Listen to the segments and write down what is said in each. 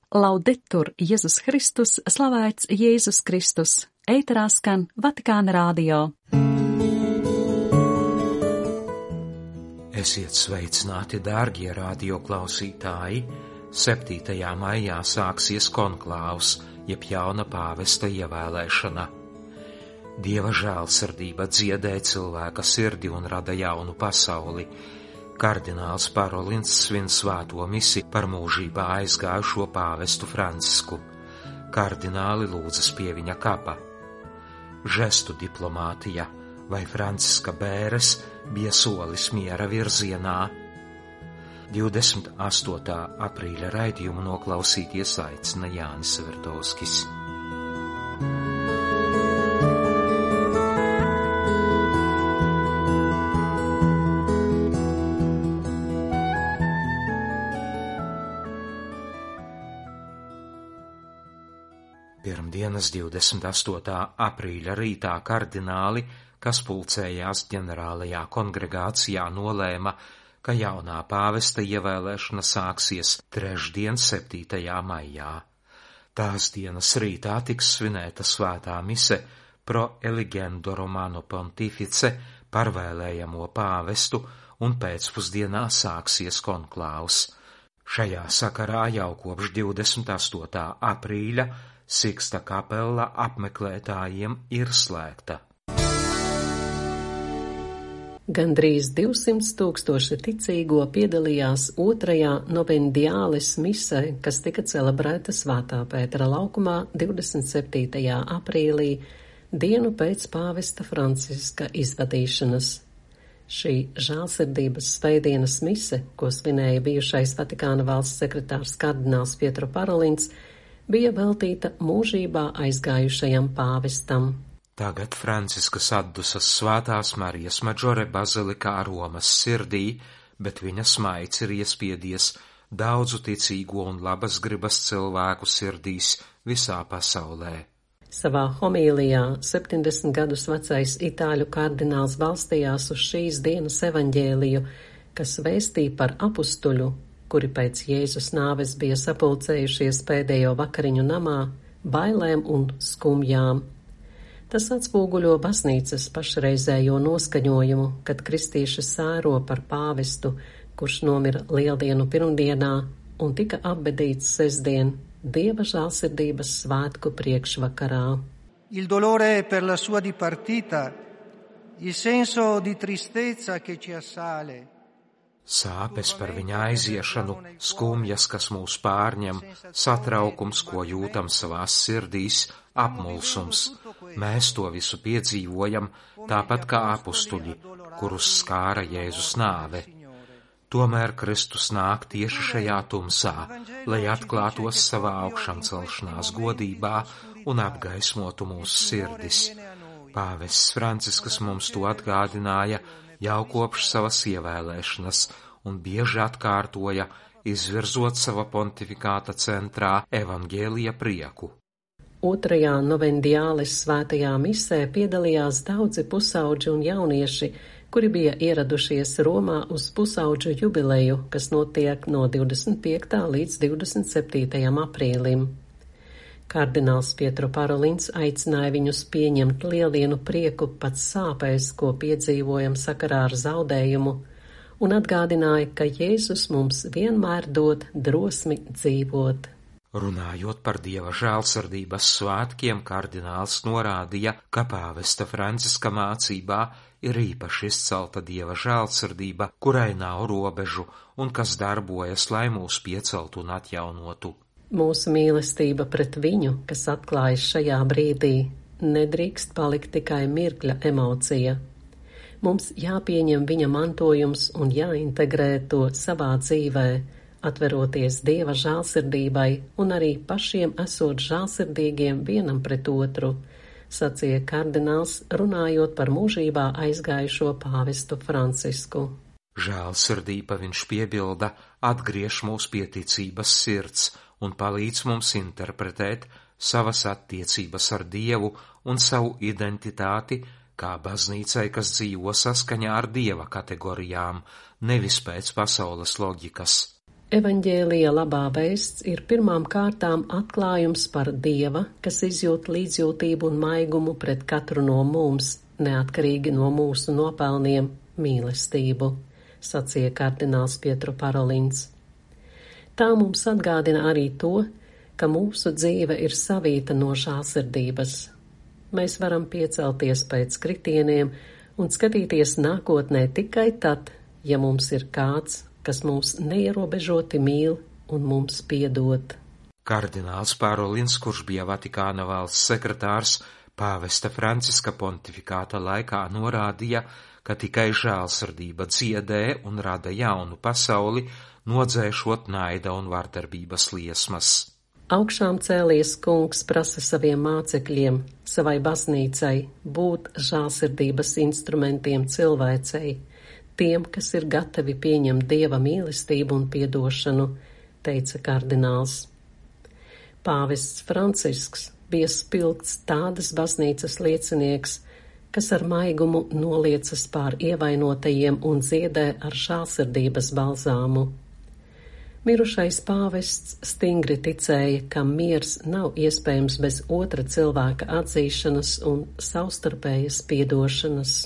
Laudetur Jēzus Kristus, slavēts Jēzus Kristus, ēterā skan Vatikāna radio. Esiet sveicināti, dārgie radioklausītāji! 7. maijā sāksies konklāvs, jeb jauna pāvesta ievēlēšana. Dieva žēlsirdība dziedē cilvēka sirdi un rada jaunu pasauli. Kardināls Parolins svin svēto misi par mūžībā aizgājušo pāvestu Francisku. Kardināli lūdzas pie viņa kapa. Žestu diplomātija vai Franciska bēres bija solis miera virzienā. 28. aprīļa raidījumu noklausīties aicina Jānis Sverdovskis. Pirmdienas 28. aprīļa rītā kardināli, kas pulcējās ģenerālajā kongregācijā, nolēma, ka jaunā pāvesta ievēlēšana sāksies trešdien 7. maijā. Tās dienas rītā tiks svinēta svētā mise pro eligendo Romano Pontifice par vēlējamo pāvestu un pēcpusdienā sāksies konklāvs. Šajā sakarā jau kopš 28. aprīļa Siksta kapela apmeklētājiem ir slēgta. Gandrīz 200,000 ticīgo piedalījās 2. novendiāles misē, kas tika celebrēta Svētā Pētera laukumā 27. aprīlī, dienu pēc pāvesta Franciska izvadīšanas. Šī žēlsirdības svētdienas mise, ko svinēja bijušais Vatikāna valsts sekretārs kardināls Pietro Parolins, bija veltīta mūžībā aizgājušajam pāvestam. Tagad Franciskas atdusas Svētās Marijas Maģore bazilikā Romas sirdī, bet viņa smaids ir iespiedies daudzu ticīgo un labas gribas cilvēku sirdīs visā pasaulē. Savā homīlijā 70 gadus vecais itāļu kardināls balstījās uz šīs dienas evaņģēliju, kas vēstīja par apustuļu, kuri pēc Jēzus nāves bija sapulcējušies pēdējo vakariņu namā, bailēm un skumjām. Tas atspoguļo baznīcas pašreizējo noskaņojumu, kad kristieši sēro par pāvestu, kurš nomira Lieldienu pirmdienā un tika apbedīts sestdien, Dieva žēlsirdības svētku priekšvakarā. Il dolore per la sua dipartita, il senso di tristezza che ci assale. Sāpes par viņa aiziešanu, skumjas, kas mūs pārņem, satraukums, ko jūtam savās sirdīs, apmulsums. Mēs to visu piedzīvojam, tāpat kā apustuļi, kurus skāra Jēzus nāve. Tomēr Kristus nāk tieši šajā tumsā, lai atklātos savā augšamcelšanās godībā un apgaismotu mūsu sirdis. Pāvests Francisks mums to atgādināja jau kopš savas ievēlēšanas un bieži atkārtoja, izvirzot sava pontifikāta centrā evaņģēlija prieku. 2. novendiāles svētajā misē piedalījās daudzi pusauģi un jaunieši, kuri bija ieradušies Romā uz pusauģu jubileju, kas notiek no 25. līdz 27. aprīlim. Kardināls Pietro Parolins aicināja viņus pieņemt lieldienu prieku pat sāpēs, ko piedzīvojam sakarā ar zaudējumu, un atgādināja, ka Jēzus mums vienmēr dod drosmi dzīvot. Runājot par Dieva žēlsirdības svētkiem, kardināls norādīja, ka pāvesta Franciska mācībā ir īpaši izcelta Dieva žēlsirdība, kurai nav robežu un kas darbojas, lai mūs pieceltu un atjaunotu. Mūsu mīlestība pret viņu, kas atklājas šajā brīdī, nedrīkst palikt tikai mirkļa emocija. Mums jāpieņem viņa mantojums un jāintegrē to savā dzīvē, atveroties Dieva žēlsirdībai un arī pašiem esot žēlsirdīgiem vienam pret otru, sacīja kardināls, runājot par mūžībā aizgājušo pāvestu Francisku. Žēlsirdība, viņš piebilda, atgriež mūs pie ticības sirds un palīdz mums interpretēt savas attiecības ar Dievu un savu identitāti kā baznīcai, kas dzīvo saskaņā ar Dieva kategorijām, nevis pēc pasaules loģikas. Evaņģēlija labā vēsts ir pirmām kārtām atklājums par Dieva, kas izjūt līdzjūtību un maigumu pret katru no mums, neatkarīgi no mūsu nopelniem, mīlestību, sacīja kardināls Pietro Parolins. Tā mums atgādina arī to, ka mūsu dzīve ir savīta no žēlsirdības. Mēs varam piecelties pēc kritieniem un skatīties nākotnē tikai tad, ja mums ir kāds, kas mūs neierobežoti mīl un mums piedod. Kardināls Parolins, kurš bija Vatikāna valsts sekretārs, pāvesta Franciska pontifikāta laikā norādīja, ka tikai žēlsirdība dziedē un rada jaunu pasauli, nodzēšot naida un vardarbības liesmas. Augšām cēlies kungs prasa saviem mācekļiem, savai baznīcai, būt žēlsirdības instrumentiem cilvēcei, tiem, kas ir gatavi pieņemt Dieva mīlestību un piedošanu, teica kardināls. Pāvests Francisks bija spilgts tādas baznīcas liecinieks, kas ar maigumu noliecas pār ievainotajiem un dziedē ar žēlsirdības balzāmu. Mirušais pāvests stingri ticēja, ka miers nav iespējams bez otra cilvēka atzīšanas un savstarpējas piedošanas.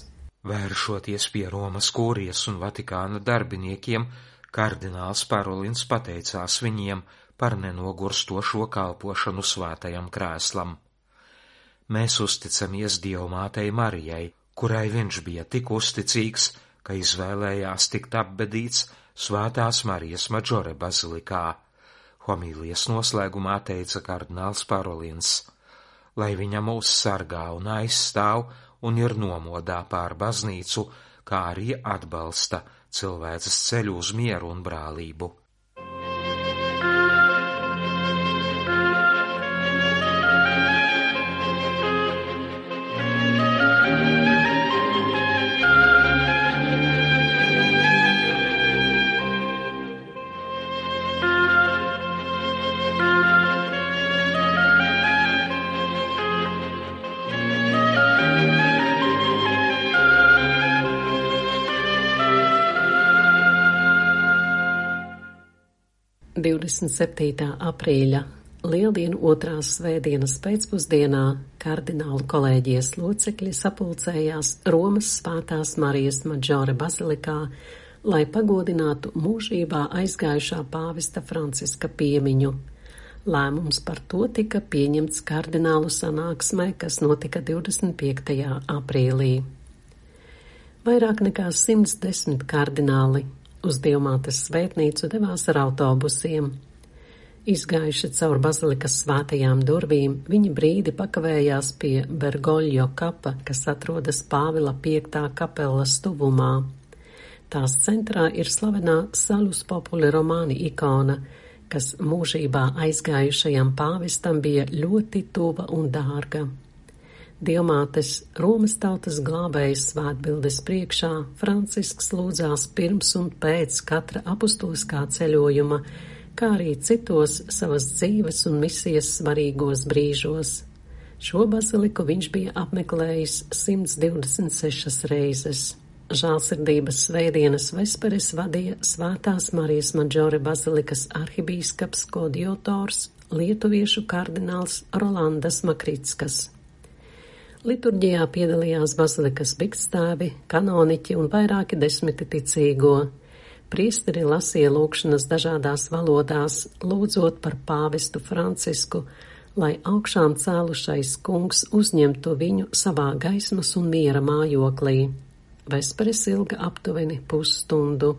Vēršoties pie Romas kūrijas un Vatikāna darbiniekiem, kardināls Parolins pateicās viņiem par nenogurstošo kalpošanu svētajam krēslam. Mēs uzticamies Dievmātei Marijai, kurai viņš bija tik uzticīgs, ka izvēlējās tikt apbedīts Svētās Marijas Madžore bazilikā. Homīlijas noslēgumā teica kardināls Parolins, lai viņa mūs sargā un aizstāv un ir nomodā pār baznīcu, kā arī atbalsta cilvēces ceļu uz mieru un brālību. aprīļa Lieldienu otrās svētdienas pēcpusdienā kardinālu kolēģijas locekļi sapulcējās Romas Svētās Marijas Madžore bazilikā, lai pagodinātu mūžībā aizgājušā pāvesta Franciska piemiņu. Lēmums par to tika pieņemts kardinālu sanāksmē, kas notika 25. aprīlī. Vairāk nekā 110 kardināli uz Dievmātes svētnīcu devās ar autobusiem. Izgājuši caur bazilikas svētajām durvīm, viņi brīdi pakavējās pie Bergoglio kapa, kas atrodas Pāvila 5. kapelas tuvumā. Tās centrā ir slavenā Salus Populi Romani ikona, kas mūžībā aizgājušajam pāvestam bija ļoti tuva un dārga. Dievmātes Romas tautas glābējas svētbildes priekšā Francisks lūdzās pirms un pēc katra apustuliskā ceļojuma, kā arī citos savas dzīves un misijas svarīgos brīžos. Šo baziliku viņš bija apmeklējis 126 reizes. Žēlsirdības svētdienas vesperes vadīja Svētās Marijas Madžore bazilikas arhibīskaps Kodiotors, lietuviešu kardināls Rolandas Makrickas. Liturģijā piedalījās bazilikas biktstāvi, kanoniķi un vairāki desmiti ticīgo. Priesteri lasīja lūgšanas dažādās valodās, lūdzot par pāvestu Francisku, lai augšām cēlušais kungs uzņemtu viņu savā gaismas un miera mājoklī. Vesperes ilga aptuveni pusstundu.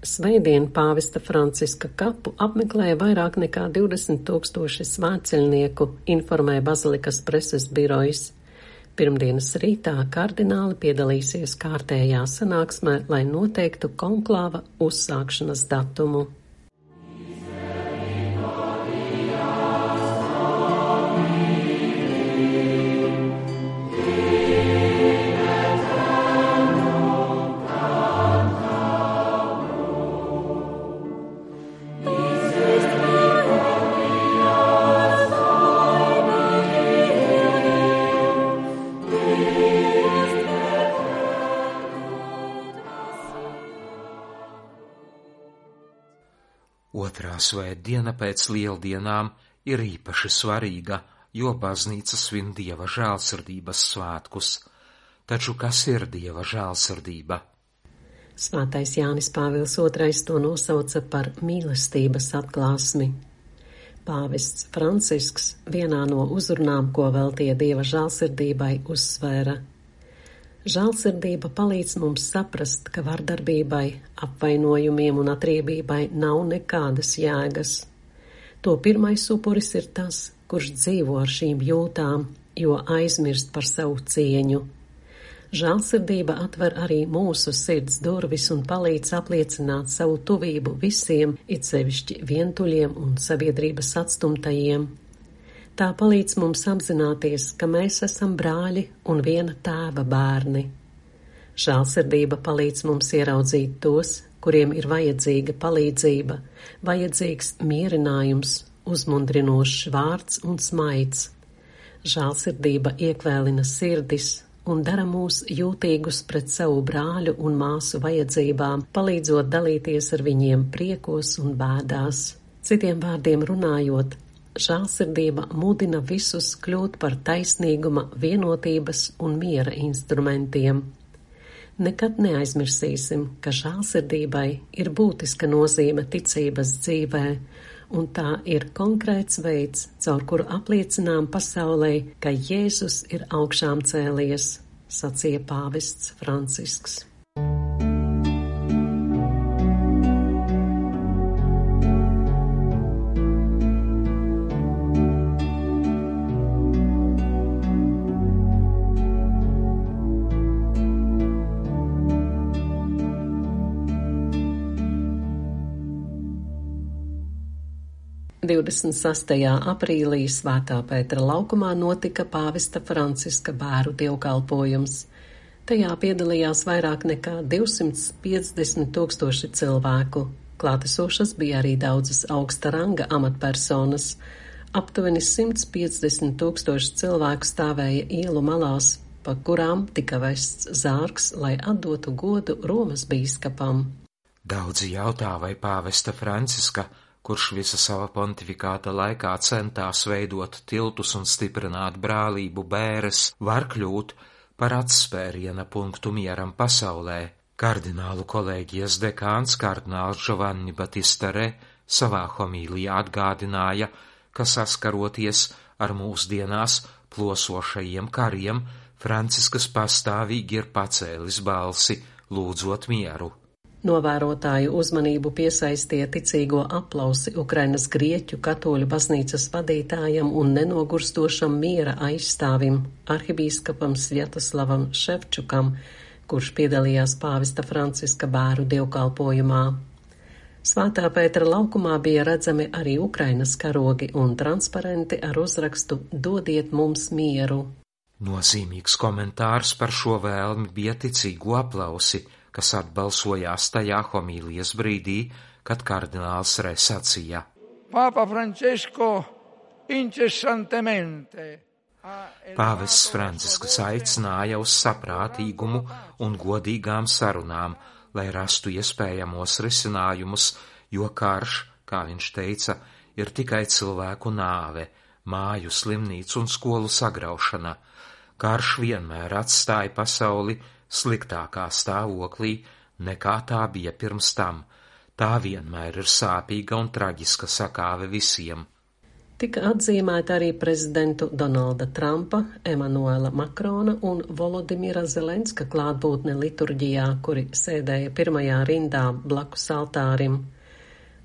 Svētdien pāvesta Franciska kapu apmeklēja vairāk nekā 20,000 svētceļnieku, informēja bazilikas preses birojs. Pirmdienas rītā kardināli piedalīsies kārtējā sanāksmē, lai noteiktu konklāva uzsākšanas datumu. svētdiena pēc lieldienām ir īpaši svarīga, jo baznīca svin Dieva žēlsirdības svētkus. Taču kas ir Dieva žēlsirdība? Svētais Jānis Pāvils II to nosauca par mīlestības atklāsmi. Pāvests Francisks vienā no uzrunām, ko veltīja Dieva žēlsirdībai, uzsvēra: žēlsirdība palīdz mums saprast, ka vardarbībai, apvainojumiem un atriebībai nav nekādas jēgas. To pirmais upuris ir tas, kurš dzīvo ar šīm jūtām, jo aizmirst par savu cieņu. Žēlsirdība atver arī mūsu sirds durvis un palīdz apliecināt savu tuvību visiem, it sevišķi vientuļiem un sabiedrības atstumtajiem. Tā palīdz mums apzināties, ka mēs esam brāļi un viena tēva bērni. Žēlsirdība palīdz mums ieraudzīt tos, kuriem ir vajadzīga palīdzība, vajadzīgs mierinājums, uzmundrinošs vārds un smaids. Žēlsirdība iekvēlina sirdis un dara mūs jūtīgus pret savu brāļu un māsu vajadzībām, palīdzot dalīties ar viņiem priekos un bēdās. Citiem vārdiem runājot, žēlsirdība mudina visus kļūt par taisnīguma, vienotības un miera instrumentiem. Nekad neaizmirsīsim, ka žēlsirdībai ir būtiska nozīme ticības dzīvē, un tā ir konkrēts veids, caur kuru apliecinām pasaulē, ka Jēzus ir augšām cēlies, sacīja pāvests Francisks. – 26. aprīlī Svētā Pētera laukumā notika pāvesta Franciska bēru dievkalpojums. Tajā piedalījās vairāk nekā 250 000 cilvēku. Klātesošas bija arī daudzas augsta ranga amatpersonas. Aptuveni 150 000 cilvēku stāvēja ielu malās, pa kurām tika vests zārks, lai atdotu godu Romas bīskapam. Daudzi jautā, vai pāvesta Franciska, kurš visa sava pontifikāta laikā centās veidot tiltus un stiprināt brālību bēres, var kļūt par atspēriena punktu mieram pasaulē. Kardinālu kolēģijas dekāns kardināls Giovanni Battista Re savā homīlijā atgādināja, ka saskaroties ar mūsdienās plosošajiem kariem, Franciskas pastāvīgi ir pacēlis balsi, lūdzot mieru. Novērotāju uzmanību piesaistīja ticīgo aplausi Ukrainas grieķu katoļu baznīcas vadītājam un nenogurstošam miera aizstāvim, arhibīskapam Svjatoslavam Ševčukam, kurš piedalījās pāvesta Franciska bēru dievkalpojumā. Svētā Pētera laukumā bija redzami arī Ukrainas karogi un transparenti ar uzrakstu "Dodiet mums mieru". Nozīmīgs komentārs par šo vēlmi bija ticīgo aplausi, kas atbalsojās tajā homīlijas brīdī, kad kardināls Re sacīja: Papa Francesco incessantemente. Pāvests Francisks aicināja uz saprātīgumu un godīgām sarunām, lai rastu iespējamos risinājumus, jo karš, kā viņš teica, ir tikai cilvēku nāve, māju, slimnīcu un skolu sagraušana. Karš vienmēr atstāja pasauli sliktākā stāvoklī, nekā tā bija pirms tam. Tā vienmēr ir sāpīga un traģiska sakāve visiem. Tika atzīmēta arī prezidentu Donalda Trumpa, Emanuela Makrona un Volodimira Zelenska klātbūtne liturģijā, kuri sēdēja pirmajā rindā blakus altārim.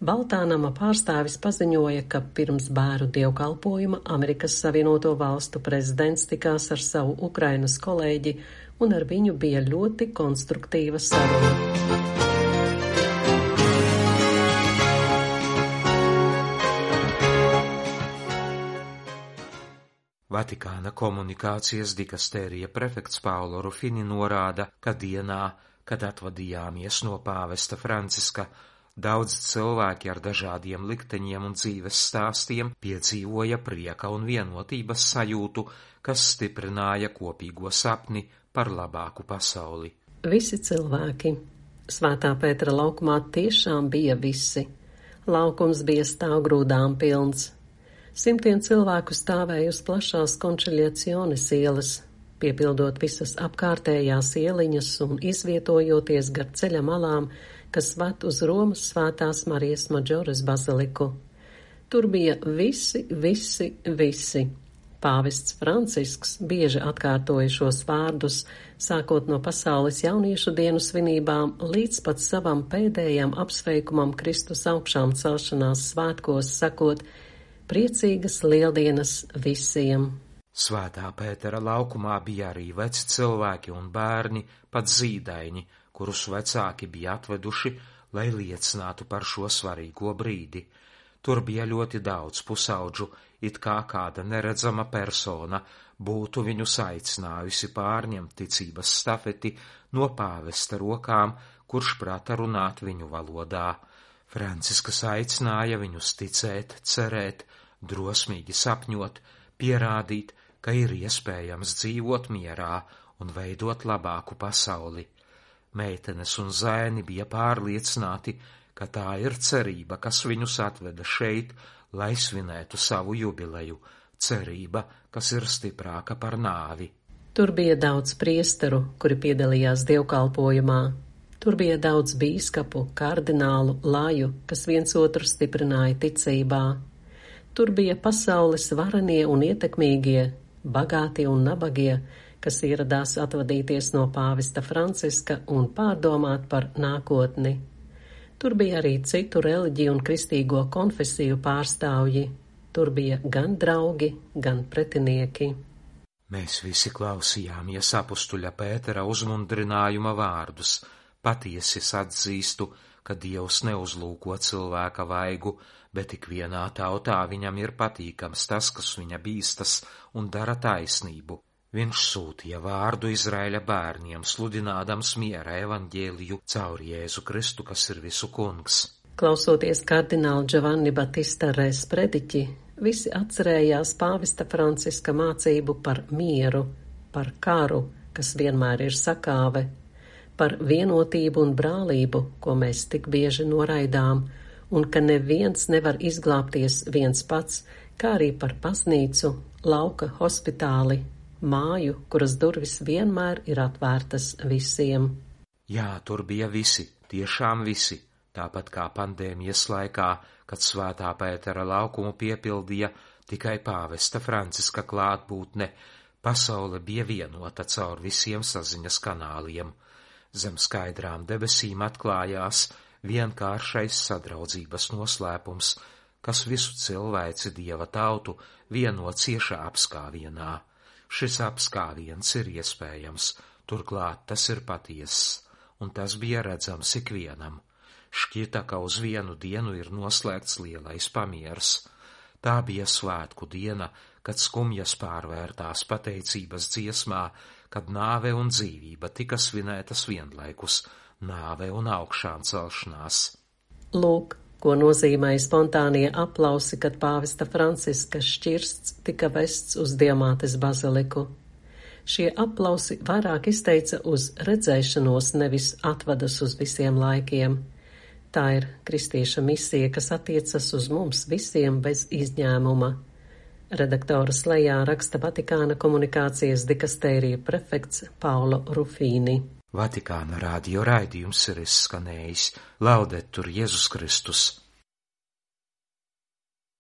Baltānama pārstāvis paziņoja, ka pirms bēru dievkalpojuma Amerikas Savienoto Valstu prezidents tikās ar savu Ukrainas kolēģi, un ar viņu bija ļoti konstruktīva saruna. Vatikāna komunikācijas dikastērija prefekts Paulo Rufini norāda, ka dienā, kad atvadījāmies no pāvesta Franciska, daudz cilvēki ar dažādiem likteņiem un dzīves stāstiem piedzīvoja prieka un vienotības sajūtu, kas stiprināja kopīgo sapni par labāku pasauli. Visi cilvēki. Svētā Pētera laukumā tiešām bija visi. Laukums bija stāvgrūdām pilns. Simtiem cilvēku stāvēja uz plašās Končiljaciones ielas, piepildot visas apkārtējās ieliņas un izvietojoties gar ceļa malām, kas ved uz Romas Svētās Marijas Madžores baziliku. Tur bija visi. Pāvests Francisks bieži atkārtoja šos vārdus, sākot no pasaules jauniešu dienu svinībām līdz pat savam pēdējam apsveikumam Kristus augšām celšanās svētkos, sakot: priecīgas lieldienas visiem! Svētā Pētera laukumā bija arī veci cilvēki un bērni, pat zīdaiņi, kurus vecāki bija atveduši, lai liecinātu par šo svarīgo brīdi. Tur bija ļoti daudz pusaudžu, it kā kāda neredzama persona būtu viņus aicinājusi pārņemt ticības stafeti no pāvesta rokām, kurš prata runāt viņu valodā. Francisks aicināja viņus ticēt, cerēt, drosmīgi sapņot, pierādīt, ka ir iespējams dzīvot mierā un veidot labāku pasauli. Meitenes un zēni bija pārliecināti, ka tā ir cerība, kas viņus atveda šeit, lai svinētu savu jubileju, cerība, kas ir stiprāka par nāvi. Tur bija daudz priesteru, kuri piedalījās dievkalpojumā. Tur bija daudz bīskapu, kardinālu, laju, kas viens otru stiprināja ticībā. Tur bija pasaules varenie un ietekmīgie, bagātie un nabagie, kas ieradās atvadīties no pāvesta Franciska un pārdomāt par nākotni. Tur bija arī citu reliģiju un kristīgo konfesiju pārstāvji. Tur bija gan draugi, gan pretinieki. Mēs visi klausījāmies apustuļa Pētera uzmundrinājuma vārdus. Patiesi atzīstu, ka Dievs neuzlūko cilvēka vaigu, bet ikvienā tautā viņam ir patīkams tas, kas viņa bīstas un dara taisnību. Viņš sūtīja vārdu Izraēļa bērniem, sludinādams miera evaņģēliju caur Jēzu Kristu, kas ir visu kungs. Klausoties kardināla Giovanni Battista Res prediķi, visi atcerējās pāvesta Franciska mācību par mieru, par karu, kas vienmēr ir sakāve, par vienotību un brālību, ko mēs tik bieži noraidām, un ka neviens nevar izglābties viens pats, kā arī par baznīcu, lauka hospitāli, māju, kuras durvis vienmēr ir atvērtas visiem. Jā, tur bija visi, tiešām visi, tāpat kā pandēmijas laikā, kad Svētā Pētera laukumu piepildīja tikai pāvesta Franciska klātbūtne, pasaule bija vienota caur visiem saziņas kanāliem. Zem skaidrām debesīm atklājās vienkāršais sadraudzības noslēpums, kas visu cilvēci Dieva tautu vieno ciešā apskāvienā. Šis apskāviens ir iespējams, turklāt tas ir patiess, un tas bija redzams ikvienam. Šķita, ka uz vienu dienu ir noslēgts lielais pamiers. Tā bija svētku diena, kad skumjas pārvērtās pateicības dziesmā, kad nāve un dzīvība tika svinētas vienlaikus, nāve un augšām celšanās. Lūk, ko nozīmēja spontānie aplausi, kad pāvesta Franciska šķirsts tika vests uz Diamātes baziliku. Šie aplausi vairāk izteica uz redzēšanos, nevis atvadas uz visiem laikiem. Tā ir kristieša misija, kas attiecas uz mums visiem bez izņēmuma. Redaktora slejā raksta Vatikāna komunikācijas dikastērija prefekts Paulo Rufīni. Vatikāna radio raidījums ir izskanējis. Laudetur Jēzus Kristus!